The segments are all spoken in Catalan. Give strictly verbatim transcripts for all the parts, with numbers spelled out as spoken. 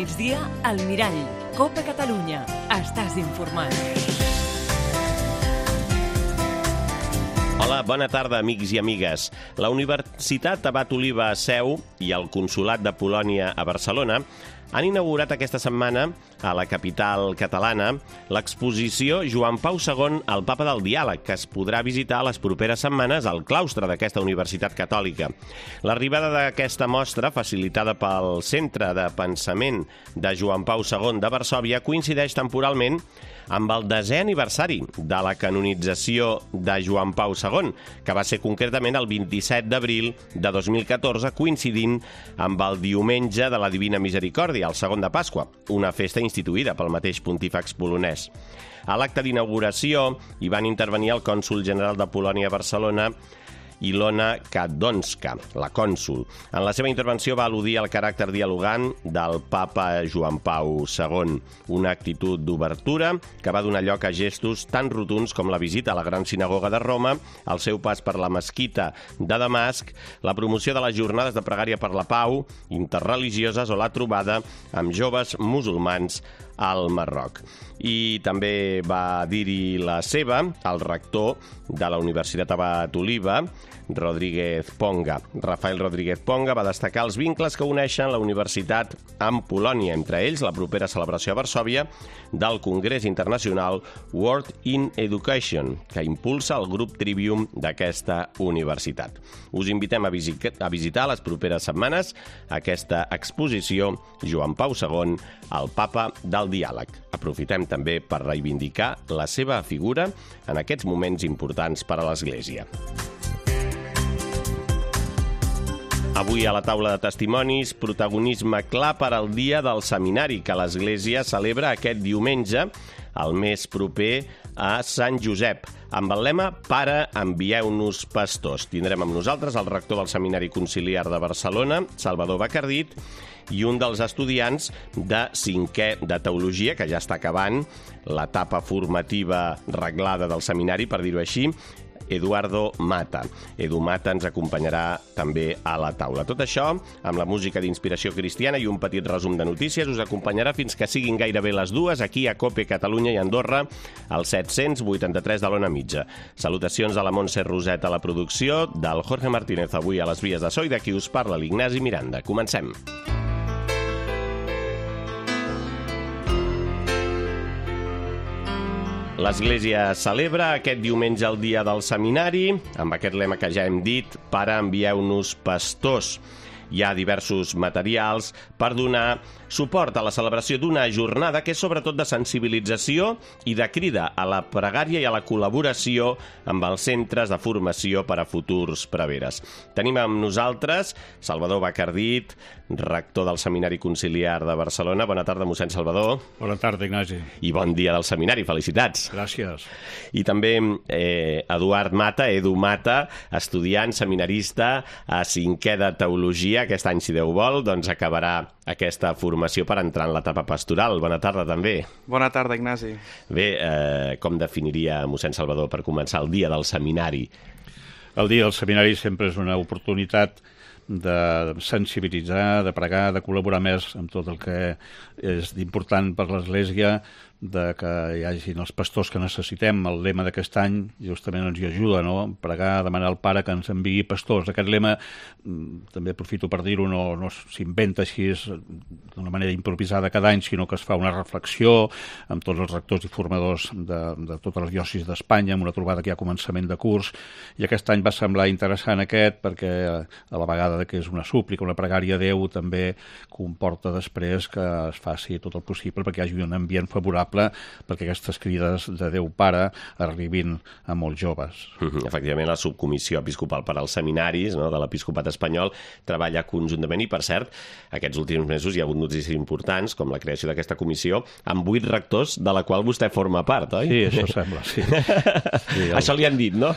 migdia, al Mirall. Copa Catalunya. Estàs informat. Hola, bona tarda, amics i amigues. La Universitat Abat Oliba a Seu i el Consolat de Polònia a Barcelona han inaugurat aquesta setmana a la capital catalana l'exposició Joan Pau segon, el Papa del Diàleg, que es podrà visitar les properes setmanes al claustre d'aquesta universitat catòlica. L'arribada d'aquesta mostra, facilitada pel Centre de Pensament de Joan Pau segon de Varsòvia, coincideix temporalment amb el desè aniversari de la canonització de Joan Pau segon, que va ser concretament el vint-i-set d'abril de dos mil catorze, coincidint amb el diumenge de la Divina Misericòrdia, el segon de Pasqua, una festa instituïda pel mateix pontífex polonès. A l'acte d'inauguració hi van intervenir el cònsol general de Polònia a Barcelona, Ilona Kadonska, la cònsol. En la seva intervenció va al·ludir al caràcter dialogant del papa Joan Pau segon, una actitud d'obertura que va donar lloc a gestos tan rotunds com la visita a la Gran Sinagoga de Roma, el seu pas per la mesquita de Damasc, la promoció de les jornades de pregària per la pau, interreligioses o la trobada amb joves musulmans al Marroc. I també va dir-hi la seva el rector de la Universitat Abat Oliba, Rodríguez Ponga. Rafael Rodríguez Ponga va destacar els vincles que uneixen la universitat amb Polònia, entre ells la propera celebració a Varsòvia del Congrés Internacional World in Education, que impulsa el grup Trivium d'aquesta universitat. Us invitem a, visit a visitar les properes setmanes aquesta exposició Joan Pau segon, el Papa del Diàleg. Aprofitem també per reivindicar la seva figura en aquests moments importants per a l'Església. Avui a la taula de testimonis, protagonisme clar per al dia del seminari que l'Església celebra aquest diumenge, el més proper a Sant Josep, amb el lema Pare, envieu-nos pastors. Tindrem amb nosaltres el rector del Seminari Conciliar de Barcelona, Salvador Bacardit, i un dels estudiants de cinquè de Teologia, que ja està acabant l'etapa formativa reglada del seminari, per dir-ho així, Eduardo Mata. Edu Mata ens acompanyarà també a la taula. Tot això, amb la música d'inspiració cristiana i un petit resum de notícies, us acompanyarà fins que siguin gairebé les dues aquí a Cope Catalunya i Andorra, al set-cents vuitanta-tres de l'Ona Mitja. Salutacions de la Montse Roset a la producció, del Jorge Martínez avui a les vies de so i de qui us parla l'Ignasi Miranda. Comencem. L'Església celebra aquest diumenge el dia del seminari, amb aquest lema que ja hem dit, Pare, envieu-nos pastors. Hi ha diversos materials per donar suport a la celebració d'una jornada que és sobretot de sensibilització i de crida a la pregària i a la col·laboració amb els centres de formació per a futurs preveres. Tenim amb nosaltres Salvador Bacardit, rector del Seminari Conciliar de Barcelona. Bona tarda, mossèn Salvador. Bona tarda, Ignasi. I bon dia del seminari, felicitats. Gràcies. I també eh, Eduard Mata, Edu Mata, estudiant, seminarista a cinquè de Teologia. Aquest any, si Déu vol, doncs acabarà aquesta formació per entrar en l'etapa pastoral. Bona tarda, també. Bona tarda, Ignasi. Bé, eh, com definiria mossèn Salvador per començar el dia del seminari? El dia del seminari sempre és una oportunitat de sensibilitzar, de pregar, de col·laborar més amb tot el que és important per l'Església, de que hi hagin els pastors que necessitem. El lema d'aquest any justament ens hi ajuda, no? Pregar, demanar al Pare que ens enviï pastors. Aquest lema, també aprofito per dir-ho, no, no s'inventa així d'una manera improvisada cada any, sinó que es fa una reflexió amb tots els rectors i formadors de, de totes les diòcesis d'Espanya, amb una trobada que hi ha a començament de curs, i aquest any va semblar interessant aquest perquè a la vegada que és una súplica, una pregària a Déu, també comporta després que es faci tot el possible perquè hi hagi un ambient favorable perquè aquestes crides de Déu Pare arribin a molts joves. Mm-hmm. Efectivament, la subcomissió episcopal per als seminaris, no, de l'Episcopat espanyol treballa conjuntament i, per cert, aquests últims mesos hi ha hagut notícies importants, com la creació d'aquesta comissió, amb vuit rectors, de la qual vostè forma part, oi? Sí, això sembla, sí. sí el... Això li han dit, no?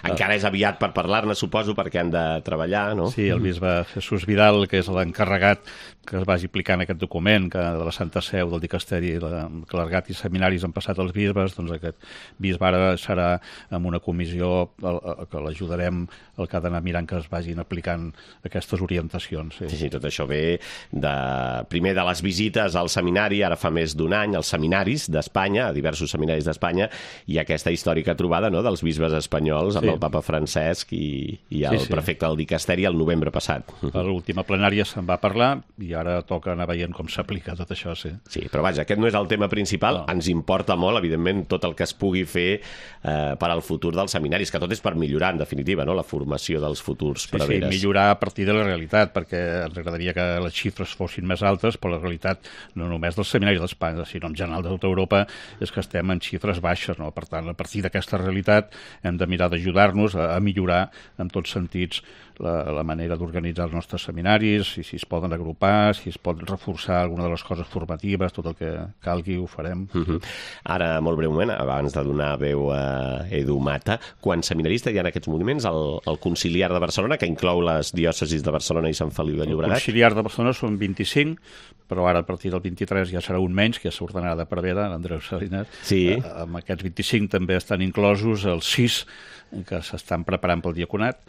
Encara és aviat per parlar-ne, suposo, perquè han de treballar, no? Sí, el bisbe Jesús Vidal, que és l'encarregat que es vagi aplicant aquest document que de la Santa Seu del Dicasteri clergat i seminaris han passat als bisbes, doncs aquest bisbe ara serà amb una comissió que l'ajudarem, el que ha d'anar mirant que es vagin aplicant aquestes orientacions. Sí, sí, tot això ve de, primer de les visites al seminari, ara fa més d'un any, als seminaris d'Espanya, a diversos seminaris d'Espanya, i aquesta històrica trobada, no?, dels bisbes espanyols amb sí. el papa Francesc i, i el sí, sí. prefecte del dicasteri el novembre passat. A l'última plenària se'n va parlar i ara toca anar veient com s'aplica tot això, sí. Sí, però vaja, aquest no és el tema principal. No. Ens importa molt, evidentment, tot el que es pugui fer eh, per al futur dels seminaris, que tot és per millorar, en definitiva, no?, la formació dels futurs sí, preveres. Sí, millorar a partir de la realitat, perquè ens agradaria que les xifres fossin més altes, però la realitat, no només dels seminaris d'Espanya, sinó en general de tota Europa, és que estem en xifres baixes, no? Per tant, a partir d'aquesta realitat hem de mirar d'ajudar-nos a, a millorar en tots sentits la, la manera d'organitzar els nostres seminaris, si, si es poden agrupar, si es pot reforçar alguna de les coses formatives, tot el que calgui ho farem. Uh-huh. Ara, molt breument, abans de donar veu a Edu Mata, quants seminaristes hi ha en aquests moments al, al Conciliar de Barcelona, que inclou les diòcesis de Barcelona i Sant Feliu de Llobregat? El Conciliar de Barcelona són vint-i-cinc, però ara a partir del vint-i-tres ja serà un menys, que s'ordenarà de Prevera, l'Andreu Salinas. Sí. Eh, amb aquests vint-i-cinc també estan inclosos els sis que s'estan preparant pel diaconat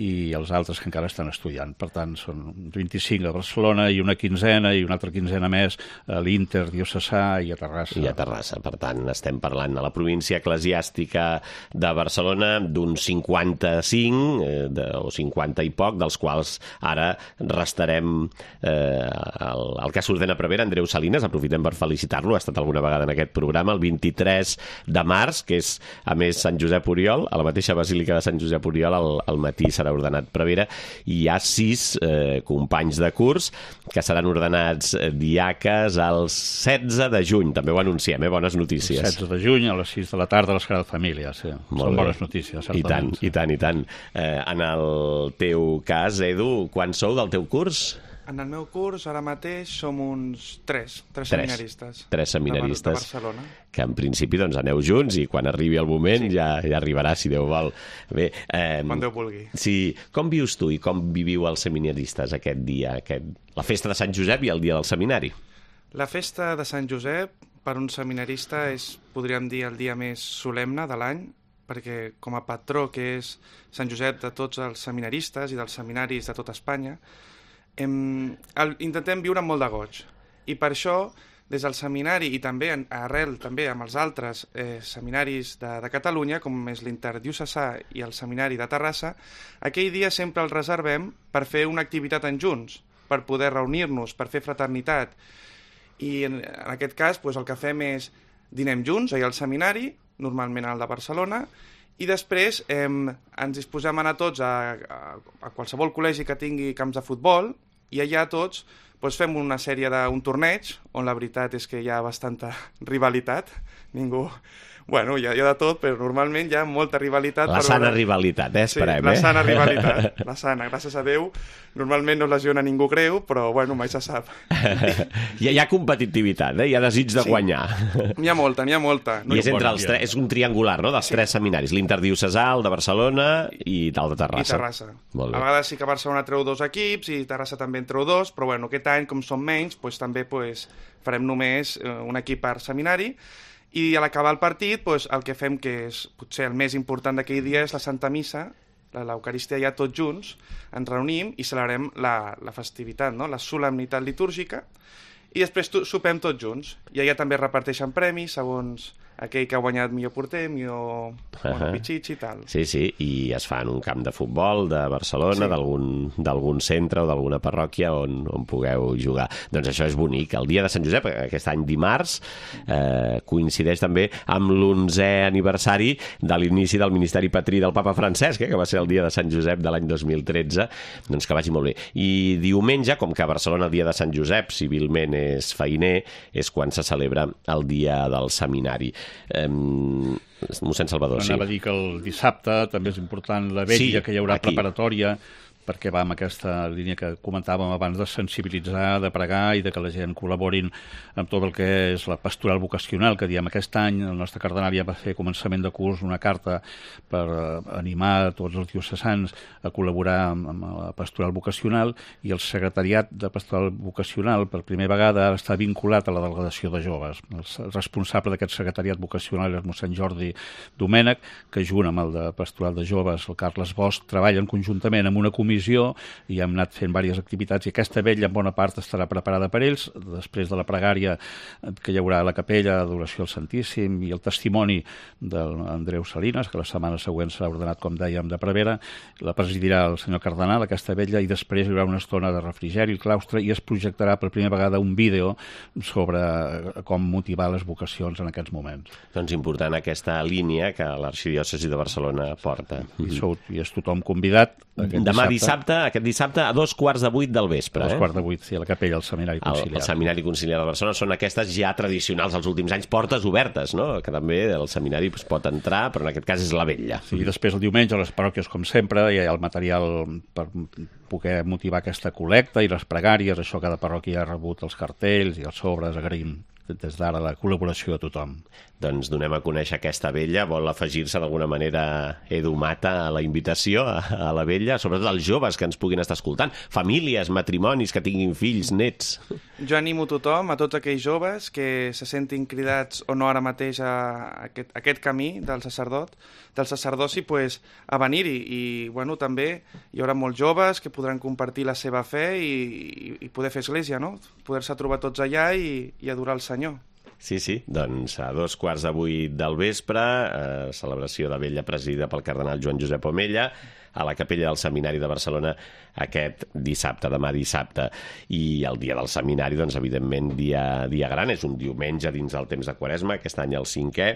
i els altres que encara estan estudiant. Per tant, són vint-i-cinc a Barcelona i una quinzena i una altra quinzena més a l'Inter Diocesà i a Terrassa. I a Terrassa. Per tant, estem parlant a la província eclesiàstica de Barcelona d'uns cinquanta-cinc eh, de, o cinquanta i poc, dels quals ara restarem eh, el, el que s'ordena Prevera, Andreu Salinas, aprofitem per felicitar-lo, ha estat alguna vegada en aquest programa, el vint-i-tres de març, que és, a més, Sant Josep Oriol, a la mateixa Basílica de Sant Josep Oriol, al, al matí serà ordenat Prevera, i hi ha sis eh, companys de curs que seran ordenats diaques el setze de juny, també ho anunciem, eh? Bones notícies. El setze de juny a les sis de la tarda a la Sagrada Família, sí. Molt Són bé. Bones notícies, certament. I tant, sí. i tant, i tant. Eh, en el teu cas, Edu, quants sou del teu curs? En el meu curs, ara mateix, som uns tres, tres, tres seminaristes. Tres seminaristes. De, de Barcelona. Que en principi doncs aneu junts i quan arribi el moment sí. ja, ja arribarà, si Déu vol. Bé, eh, quan Déu vulgui. Sí. Com vius tu i com viviu els seminaristes aquest dia, aquest... la festa de Sant Josep i el dia del seminari? La festa de Sant Josep, per un seminarista, és, podríem dir, el dia més solemne de l'any, perquè com a patró, que és Sant Josep de tots els seminaristes i dels seminaris de tota Espanya, Em, el, intentem viure amb molt de goig, i per això des del seminari i també en, arrel també amb els altres eh, seminaris de, de Catalunya, com és l'Interdiocesà i el seminari de Terrassa, aquell dia sempre el reservem per fer una activitat en junts, per poder reunir-nos, per fer fraternitat, i en, en aquest cas doncs, el que fem és dinem junts allà al seminari, normalment al de Barcelona, i després eh, ens disposem a anar tots a, a, a qualsevol col·legi que tingui camps de futbol, i allà tots doncs, fem una sèrie d'un torneig, on la veritat és que hi ha bastanta rivalitat. Ningú... Bueno, hi ha, hi ha de tot, però normalment hi ha molta rivalitat. La per sana veure... rivalitat, eh? Esperem, sí, la eh? sana rivalitat. La sana, gràcies a Déu. Normalment no lesiona ningú greu, però, bueno, mai se sap. hi, ha, hi ha competitivitat, eh? Hi ha desig de sí. guanyar. N'hi ha molta, n'hi ha molta. No I és, entre els tres, és un triangular, no?, dels sí. tres seminaris. L'Interdiocesà, el de Barcelona i el de Terrassa. I Terrassa. A vegades sí que Barcelona treu dos equips i Terrassa també en treu dos, però, bueno, aquest any, com som menys, doncs, també doncs, farem només un equip per seminari. I a l'acabar el partit, doncs, el que fem, que és potser el més important d'aquell dia, és la Santa Missa, l'Eucaristia ja tots junts, ens reunim i celebrem la, la festivitat, no? La solemnitat litúrgica, i després sopem tots junts. I allà també reparteixen premis segons aquell que ha guanyat millor porter, millor bueno, pitxitx i tal. Sí, sí, i es fa en un camp de futbol de Barcelona, sí. d'algun centre o d'alguna parròquia on, on pugueu jugar. Doncs això és bonic. El dia de Sant Josep, aquest any dimarts, eh, coincideix també amb l'onzè aniversari de l'inici del Ministeri Patrí del Papa Francesc, eh, que va ser el dia de Sant Josep de l'any dos mil tretze. Doncs que vagi molt bé. I diumenge, com que a Barcelona el dia de Sant Josep civilment és feiner, és quan se celebra el dia del seminari. Um, mossèn Salvador, no, sí. Anava a dir que el dissabte també és important la vetlla, sí, que hi haurà aquí. Preparatòria perquè va amb aquesta línia que comentàvem abans de sensibilitzar, de pregar i de que la gent col·laborin amb tot el que és la pastoral vocacional, que diem aquest any el nostre cardenal ja va fer començament de curs una carta per animar tots els diocesans a col·laborar amb, amb la pastoral vocacional, i el secretariat de pastoral vocacional per primera vegada està vinculat a la delegació de joves. El responsable d'aquest secretariat vocacional és mossèn Jordi Domènech, que junt amb el de pastoral de joves, el Carles Bosch, treballen conjuntament amb una comissió i hem anat fent diverses activitats, i aquesta vetlla en bona part estarà preparada per ells. Després de la pregària que hi haurà a la capella, adoració al Santíssim i el testimoni d'Andreu Salinas, que la setmana següent serà ordenat, com dèiem, de prevere, la presidirà el senyor cardenal, aquesta vetlla, i després hi haurà una estona de refrigeri al claustre i es projectarà per primera vegada un vídeo sobre com motivar les vocacions en aquests moments. Doncs important aquesta línia que l'arxidiòcesi de Barcelona porta. I, sou, i és tothom convidat. Demà dissabte, aquest dissabte, a dos quarts de vuit del vespre. A dos eh? quarts de vuit, sí, a la capella, al Seminari Conciliar. El, el Seminari Conciliar de Barcelona són aquestes ja tradicionals als últims anys, portes obertes, no? Que també el seminari es pot entrar, però en aquest cas és la vetlla. Sí, i després el diumenge a les parròquies, com sempre, hi ha el material per poder motivar aquesta col·lecta i les pregàries, això cada parròquia ha rebut els cartells i els sobres, agraïm des d'ara la col·laboració de tothom. Doncs donem a conèixer aquesta vetlla. Vol afegir-se d'alguna manera Edu Mata a la invitació a, a la vetlla, sobretot els joves que ens puguin estar escoltant, famílies, matrimonis que tinguin fills, nets. Jo animo tothom, a tots aquells joves que se sentin cridats o no ara mateix a aquest, a aquest camí del sacerdot, del sacerdoci, pues, a venir-hi. I bueno, també hi haurà molts joves que podran compartir la seva fe i, i, i poder fer església, no? Poder-se trobar tots allà i, i adorar el Senyor. Sí, sí, doncs a dos quarts de vuit del vespre, eh, celebració de vetlla presidida pel cardenal Joan Josep Omella, a la capella del Seminari de Barcelona aquest dissabte, demà dissabte. I el dia del seminari, doncs, evidentment, dia, dia gran, és un diumenge dins del temps de Quaresma, aquest any el cinquè,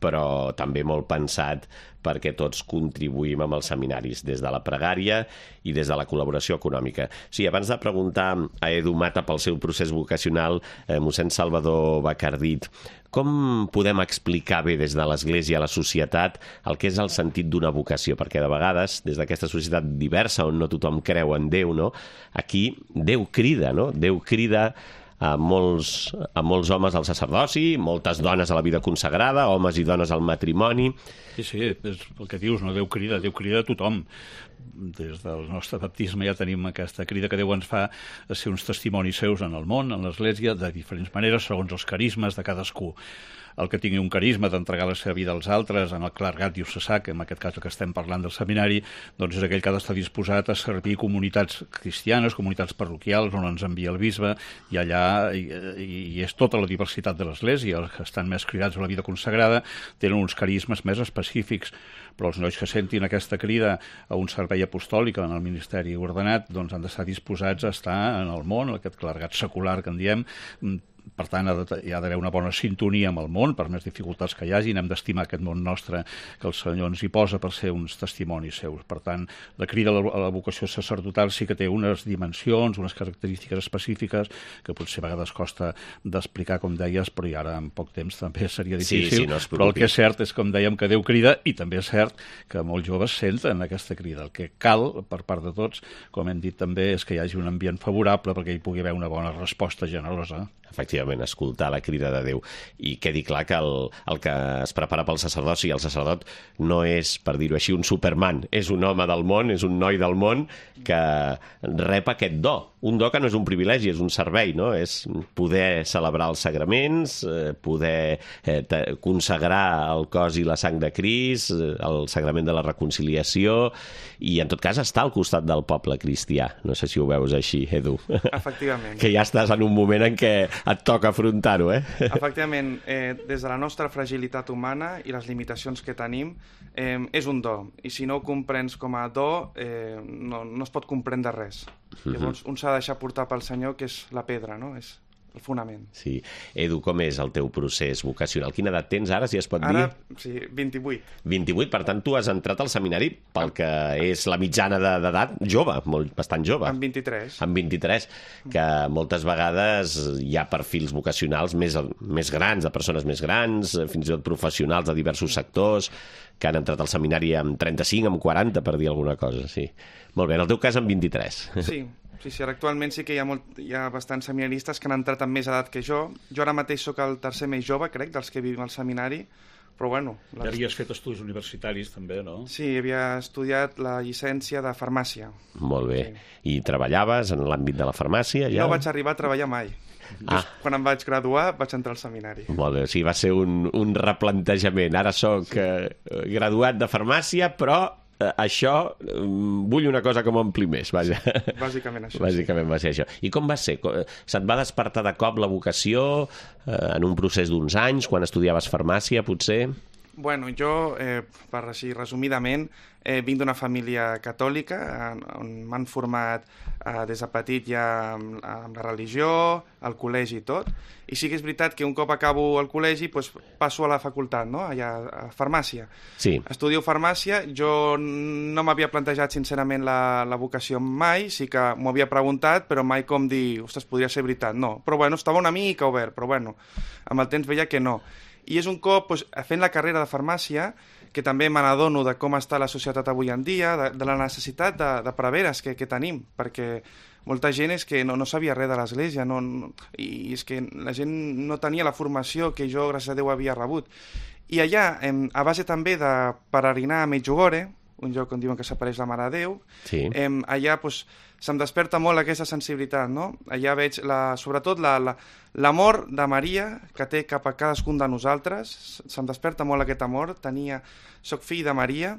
però també molt pensat perquè tots contribuïm amb els seminaris, des de la pregària i des de la col·laboració econòmica. Sí, abans de preguntar a Edu Mata pel seu procés vocacional, eh, mossèn Salvador Bacardit, com podem explicar bé des de l'Església a la societat el que és el sentit d'una vocació? Perquè de vegades, des d'aquesta societat diversa on no tothom creu en Déu, no? Aquí Déu crida, no? Déu crida a molts, a molts homes al sacerdoci, moltes dones a la vida consagrada, homes i dones al matrimoni. Sí, sí, és el que dius, no? Déu crida, Déu crida a tothom. Des del nostre baptisme ja tenim aquesta crida que Déu ens fa a ser uns testimonis seus en el món, en l'Església, de diferents maneres, segons els carismes de cadascú. El que tingui un carisma d'entregar la seva vida als altres, en el clergat diocesà, que en aquest cas que estem parlant del seminari, doncs és aquell que ha d'estar disposat a servir comunitats cristianes, comunitats parroquials, on ens envia el bisbe, i allà i, i és tota la diversitat de l'Església. Els que estan més cridats a la vida consagrada tenen uns carismes més específics, però els nois que sentin aquesta crida a un servei apostòlic en el ministeri ordenat, doncs han d'estar disposats a estar en el món, aquest clergat secular que en diem. Per tant, hi ha d'haver una bona sintonia amb el món, per més dificultats que hi hagi, hem d'estimar aquest món nostre que el Senyor ens hi posa per ser uns testimonis seus. Per tant, la crida a la vocació sacerdotal sí que té unes dimensions, unes característiques específiques que potser a vegades costa d'explicar, com deies, però i ara en poc temps també seria difícil. Sí, sí, no es preocupi. Però el que és cert és, com dèiem, que Déu crida, i també és cert que molts joves senten aquesta crida. El que cal, per part de tots, com hem dit també, és que hi hagi un ambient favorable perquè hi pugui haver una bona resposta generosa. Efectivament, escoltar la crida de Déu. I quedi clar que el, el que es prepara pel sacerdoci, el sacerdot no és, per dir-ho així, un superman. És un home del món, és un noi del món que rep aquest do. Un do que no és un privilegi, és un servei, no? És poder celebrar els sagraments, poder eh, consagrar el cos i la sang de Crist, el sagrament de la reconciliació, i en tot cas estar al costat del poble cristià. No sé si ho veus així, Edu. Efectivament. Que ja estàs en un moment en què et toca afrontar-ho, eh? Efectivament, eh, des de la nostra fragilitat humana i les limitacions que tenim, eh, és un do. I si no ho comprens com a do, eh, no, no es pot comprendre res. Uh-huh. Llavors, un s'ha de deixar portar pel Senyor, que és la pedra, no? És el fonament. Sí. Edu, com és el teu procés vocacional? Quina edat tens ara, si es pot dir? Ara, sí, vint-i-vuit. vint-i-vuit, per tant, tu has entrat al seminari pel que és la mitjana de- d'edat jove, molt, bastant jove. Amb vint-i-tres. Amb vint-i-tres, que moltes vegades hi ha perfils vocacionals més, més grans, de persones més grans, fins i tot professionals de diversos sectors, que han entrat al seminari amb trenta-cinc, amb quaranta, per dir alguna cosa, sí. Molt bé, en el teu cas amb vint-i-tres. Sí, sí, sí, actualment sí que hi ha, molt, hi ha bastants seminaristes que han entrat amb més edat que jo. Jo ara mateix sóc el tercer més jove, crec, dels que vivim al seminari, però bueno... Ja havies fet estudis universitaris, també, no? Sí, havia estudiat la llicència de farmàcia. Molt bé. I treballaves en l'àmbit de la farmàcia? Ja? No vaig arribar a treballar mai. Ah. Just quan em vaig graduar vaig entrar al seminari. Molt bé, o sigui, va ser un, un replantejament. Ara sóc sí. eh, graduat de farmàcia, però eh, això eh, vull una cosa que m'ompli més, vaja. Bàsicament això. Bàsicament va ser això. I com va ser? Co- Se't va despertar de cop la vocació eh, en un procés d'uns anys, quan estudiaves farmàcia, potser? Bueno, jo, eh, per així resumidament, eh, vinc d'una família catòlica en, on m'han format eh, des de petit ja amb, amb la religió, al col·legi i tot. I sí que és veritat que un cop acabo el col·legi doncs, passo a la facultat, no? Allà a farmàcia. Sí. Estudio farmàcia, jo no m'havia plantejat sincerament la, la vocació mai, sí que m'ho havia preguntat, però mai com dir, ostres, podria ser veritat, no. Però bueno, estava una mica obert, però bueno, amb el temps veia que no. I és un cop, doncs, fent la carrera de farmàcia, que també me n'adono de com està la societat avui en dia, de, de la necessitat de, de preveres que, que tenim, perquè molta gent és que no, no sabia res de l'Església, no, no, i és que la gent no tenia la formació que jo, gràcies a Déu, havia rebut. I allà, em, a base també de peregrinar a Medjugorje, un lloc on diuen que s'apareix la Mare de Déu, Sí. em, allà doncs, se'm desperta molt aquesta sensibilitat, no? Allà veig, la, sobretot, la, la, l'amor de Maria que té cap a cadascun de nosaltres, se'm desperta molt aquest amor, tenia, soc fill de Maria.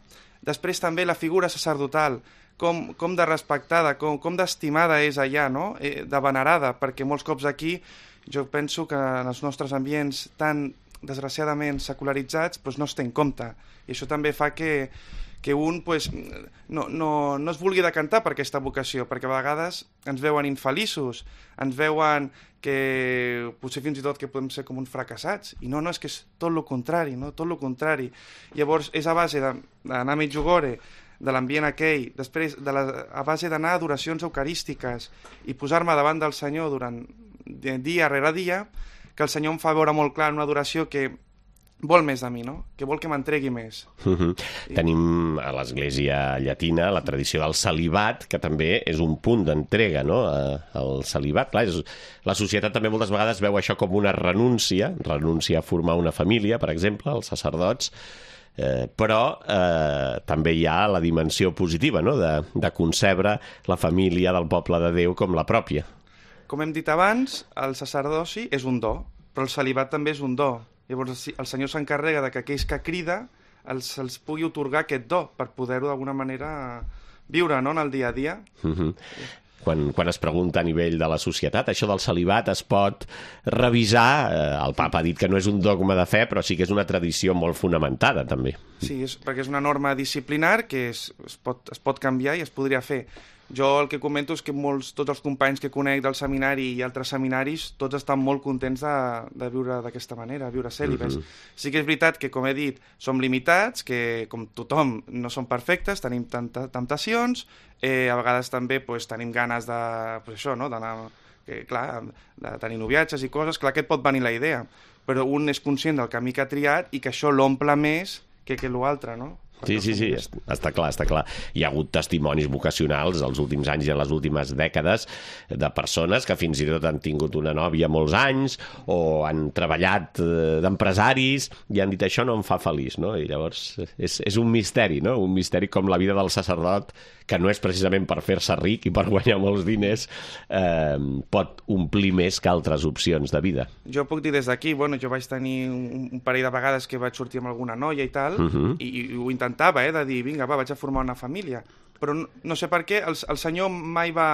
Després també la figura sacerdotal, com, com de respectada, com, com d'estimada és allà, no? Eh, de venerada, perquè molts cops aquí jo penso que en els nostres ambients tan desgraciadament secularitzats doncs no es té en compte, i això també fa que que un pues, no, no, no es vulgui decantar per aquesta vocació, perquè a vegades ens veuen infeliços, ens veuen que potser fins i tot que podem ser com uns fracassats, i no, no, és que és tot el contrari, no? Tot el contrari. Llavors, és a base de- d'anar a Medjugorje, de l'ambient aquell, després de la, a base d'anar a adoracions eucarístiques i posar-me davant del Senyor durant de- dia rere dia, que el Senyor em fa veure molt clar en una adoració que vol més de mi, no? Que vol que m'entregui més. Uh-huh. Tenim a l'Església Llatina la tradició del celibat, que també és un punt d'entrega, no?, a- al celibat. Clar, és, la societat també moltes vegades veu això com una renúncia, renúncia a formar una família, per exemple, els sacerdots, eh, però eh, també hi ha la dimensió positiva, no?, de, de concebre la família del poble de Déu com la pròpia. Com hem dit abans, el sacerdoci és un do, però el celibat també és un do. Llavors si- el Senyor s'encarrega de que aquells que crida els, els pugui otorgar aquest do per poder-ho d'alguna manera viure, no?, en el dia a dia. Uh-huh. Quan, quan es pregunta a nivell de la societat, això del celibat es pot revisar. Eh, el papa ha dit que no és un dogma de fe, però sí que és una tradició molt fonamentada, també. Sí, és, perquè és una norma disciplinar que es, es, pot, es pot canviar i es podria fer. Jo el que comento és que molts, tots els companys que conec del seminari i altres seminaris, tots estan molt contents de, de viure d'aquesta manera, viure cèlibes. Uh-huh. Sí que és veritat que, com he dit, som limitats, que com tothom no som perfectes, tenim tanta, temptacions, eh, a vegades també pues, tenim ganes de, pues, això, no?, d'anar, que, clar, de tenir noviatges i coses, clar que et pot venir la idea, però un és conscient del camí que ha triat i que això l'omple més que, que l'altre, no? Sí, sí, sí, està clar, està clar. Hi ha hagut testimonis vocacionals els últims anys i en les últimes dècades de persones que fins i tot han tingut una nòvia molts anys o han treballat eh, d'empresaris i han dit això no em fa feliç, no? I llavors és, és un misteri, no? Un misteri com la vida del sacerdot, que no és precisament per fer-se ric i per guanyar molts diners, eh, pot omplir més que altres opcions de vida. Jo puc dir des d'aquí, bueno, jo vaig tenir un, un parell de vegades que vaig sortir amb alguna noia i tal, Uh-huh. i, i ho intentava, eh, de dir, vinga, va, vaig a formar una família. però no, no sé per què, el, el senyor mai va...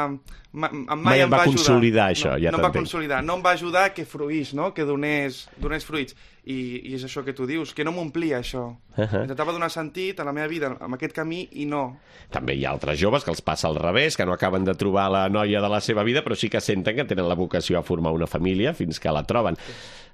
Ma, mai, mai em va, va consolidar ajudar. això, no, ja no em va t'entenc. consolidar, no em va ajudar que fruís, no? Que donés, donés fruits. I, I és això que tu dius, que no m'omplia això. Uh -huh. Intentava donar sentit a la meva vida amb aquest camí i no. També hi ha altres joves que els passa al revés, que no acaben de trobar la noia de la seva vida, però sí que senten que tenen la vocació a formar una família fins que la troben.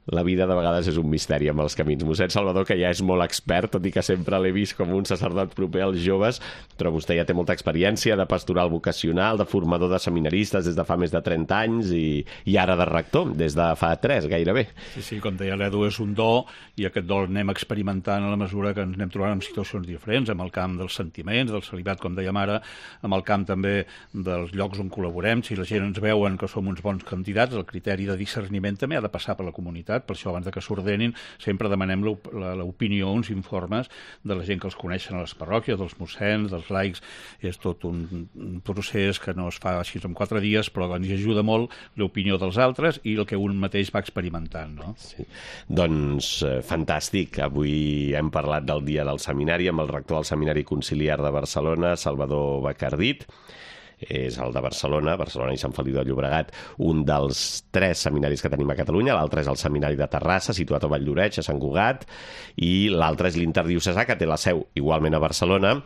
La vida de vegades és un misteri amb els camins. Mossèn Salvador, que ja és molt expert, tot i que sempre l'he vist com un sacerdot proper als joves, però vostè ja té molta experiència de pastoral vocacional, de formador de seminaristes des de fa més de trenta anys i, i ara de rector, des de fa tres, gairebé. Sí, sí, com deia l'Edu, és un do i aquest do l'anem experimentant a la mesura que ens anem trobant en situacions diferents, amb el camp dels sentiments, del celibat, com dèiem ara, amb el camp també dels llocs on col·laborem. Si la gent ens veuen que som uns bons candidats, el criteri de discerniment també ha de passar per la comunitat. Per això, abans de que s'ordenin, sempre demanem l'opinió, uns informes de la gent que els coneixen a les parròquies, dels mossens, dels laics. És tot un, un procés que no es fa així en quatre dies, però ens ajuda molt l'opinió dels altres i el que un mateix va experimentant, no? Sí. Doncs eh, fantàstic. Avui hem parlat del dia del seminari amb el rector del Seminari Conciliar de Barcelona, Salvador Bacardit. És el de Barcelona, Barcelona i Sant Feliu de Llobregat, un dels tres seminaris que tenim a Catalunya. L'altre és el Seminari de Terrassa, situat a Valldoreix, a Sant Cugat, i l'altre és l'interdiocesà, que té la seu igualment a Barcelona,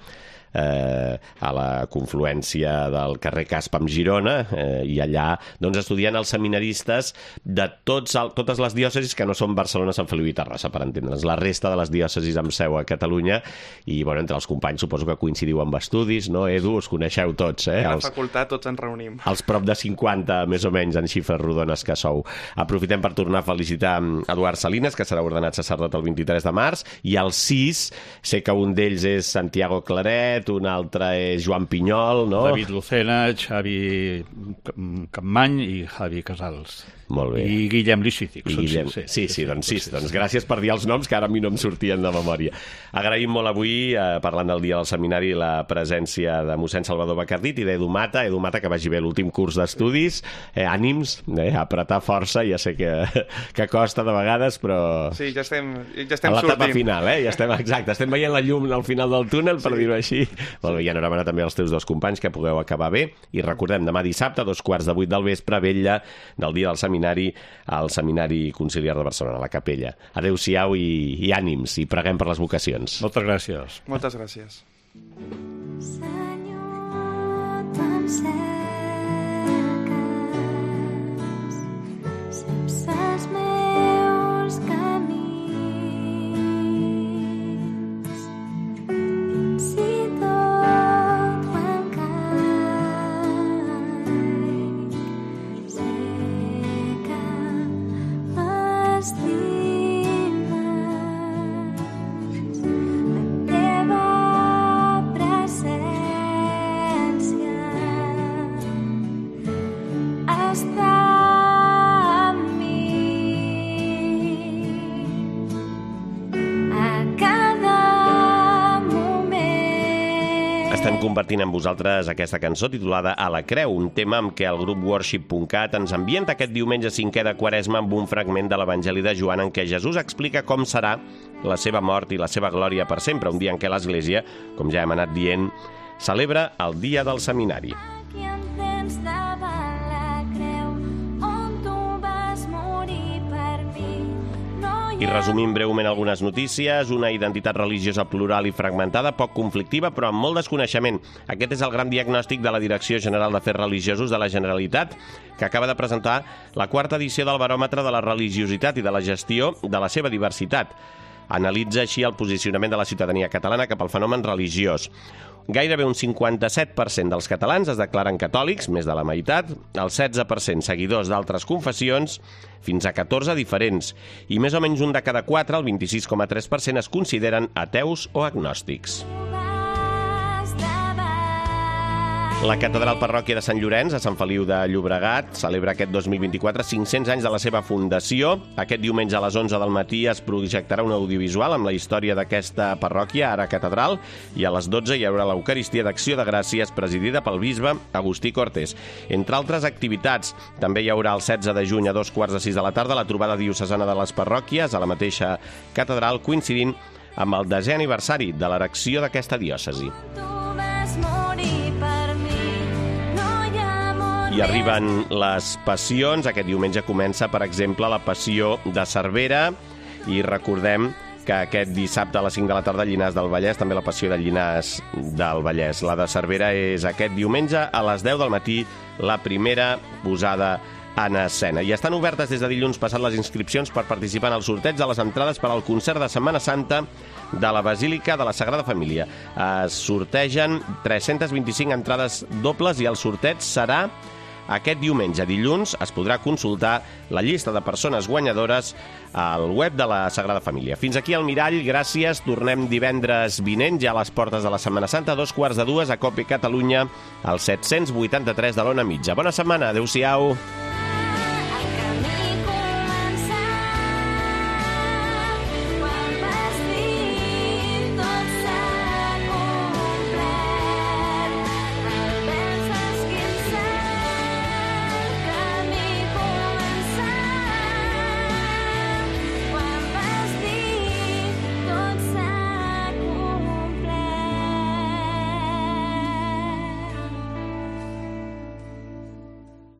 eh, a la confluència del carrer Casp amb Girona, eh, i allà doncs, estudien els seminaristes de tots el, totes les diòcesis que no són Barcelona, Sant Feliu i Terrassa, per entendre'ns, la resta de les diòcesis amb seu a Catalunya, i bueno, entre els companys suposo que coincidiu amb estudis, no, Edu? Us coneixeu tots, eh? A la Els, facultat tots ens reunim. els prop de cinquanta, més o menys, en xifres rodones que sou. Aprofitem per tornar a felicitar Eduard Salines, que serà ordenat sacerdot el vint-i-tres de març, i els sis, sé que un d'ells és Santiago Claret, un altre és Joan Pinyol, no? David Lucena, Xavi Campmany i Javi Casals. Molt bé. I Guillem Lixític. I Guillem... Sí, sí, sí, doncs sí, doncs gràcies per dir els noms que ara a mi no em sortien de memòria. Agraïm molt avui, eh, parlant del dia del seminari, la presència de mossèn Salvador Bacardit i d'Edu Mata. Edu Mata, que vagi bé l'últim curs d'estudis. Eh, ànims, eh, apretar força, ja sé que, que costa de vegades, però... Sí, ja estem, ja estem a l'etapa sortint. final, eh? Ja estem, exacte, estem veient la llum al final del túnel, per sí. dir-ho així. Molt bé, i enhorabona també als teus dos companys, que pugueu acabar bé. I recordem, demà dissabte, a dos quarts de vuit del vespre, vetlla del dia del seminari, al Seminari Conciliar de Barcelona, a la capella. Adéu-siau i, i ànims, i preguem per les vocacions. Moltes gràcies. Moltes gràcies. Senyor, te'n cerques, saps els meus camins, fins i tot quan caic, sé que m'estimes, la teva presència està amb mi a cada moment. Estem compartint amb vosaltres aquesta cançó titulada A la Creu, un tema amb què el grup worship punt cat ens ambienta aquest diumenge cinquè de Quaresma amb un fragment de l'Evangeli de Joan en què Jesús explica com serà la seva mort i la seva glòria per sempre, un dia en què l'Església, com ja hem anat dient, celebra el dia del seminari. Aquí em tens davant la creu, on tu vas morir per mi. No hi I resumim breument algunes notícies, una identitat religiosa plural i fragmentada, poc conflictiva, però amb molt desconeixement. Aquest és el gran diagnòstic de la Direcció General d'Afers Religiosos de la Generalitat, que acaba de presentar la quarta edició del Baròmetre de la Religiositat i de la Gestió de la seva diversitat. Analitza així el posicionament de la ciutadania catalana cap al fenomen religiós. Gairebé un cinquanta-set per cent dels catalans es declaren catòlics, més de la meitat, el setze per cent seguidors d'altres confessions, fins a catorze diferents, i més o menys un de cada quatre, el vint-i-sis coma tres per cent, es consideren ateus o agnòstics. vas davant. La catedral parròquia de Sant Llorenç, a Sant Feliu de Llobregat, celebra aquest dos mil vint-i-quatre cinc-cents anys de la seva fundació. Aquest diumenge a les onze del matí es projectarà un audiovisual amb la història d'aquesta parròquia, ara catedral, i a les dotze hi haurà l'Eucaristia d'Acció de Gràcies presidida pel bisbe Agustí Cortés. Entre altres activitats, també hi haurà el setze de juny a dos quarts de sis de la tarda la trobada diocesana de les parròquies a la mateixa catedral, coincidint amb el desè aniversari de l'erecció d'aquesta diòcesi. Tu vas morir I arriben les passions. Aquest diumenge comença, per exemple, la passió de Cervera. I recordem que aquest dissabte a les cinc de la tarda a Llinars del Vallès, també la passió de Llinars del Vallès. La de Cervera és aquest diumenge a les deu del matí, la primera posada en escena. I estan obertes des de dilluns passat les inscripcions per participar en el sorteig de les entrades per al concert de Setmana Santa de la Basílica de la Sagrada Família. Es sortegen tres-centes vint-i-cinc entrades dobles i el sorteig serà aquest diumenge. Dilluns es podrà consultar la llista de persones guanyadores al web de la Sagrada Família. Fins aquí el Mirall, gràcies. Tornem divendres vinent, ja a les portes de la Setmana Santa, a dos quarts de dues, a Cope Catalunya, al set-cents vuitanta-tres de l'Ona Mitja. Bona setmana, adeu-siau.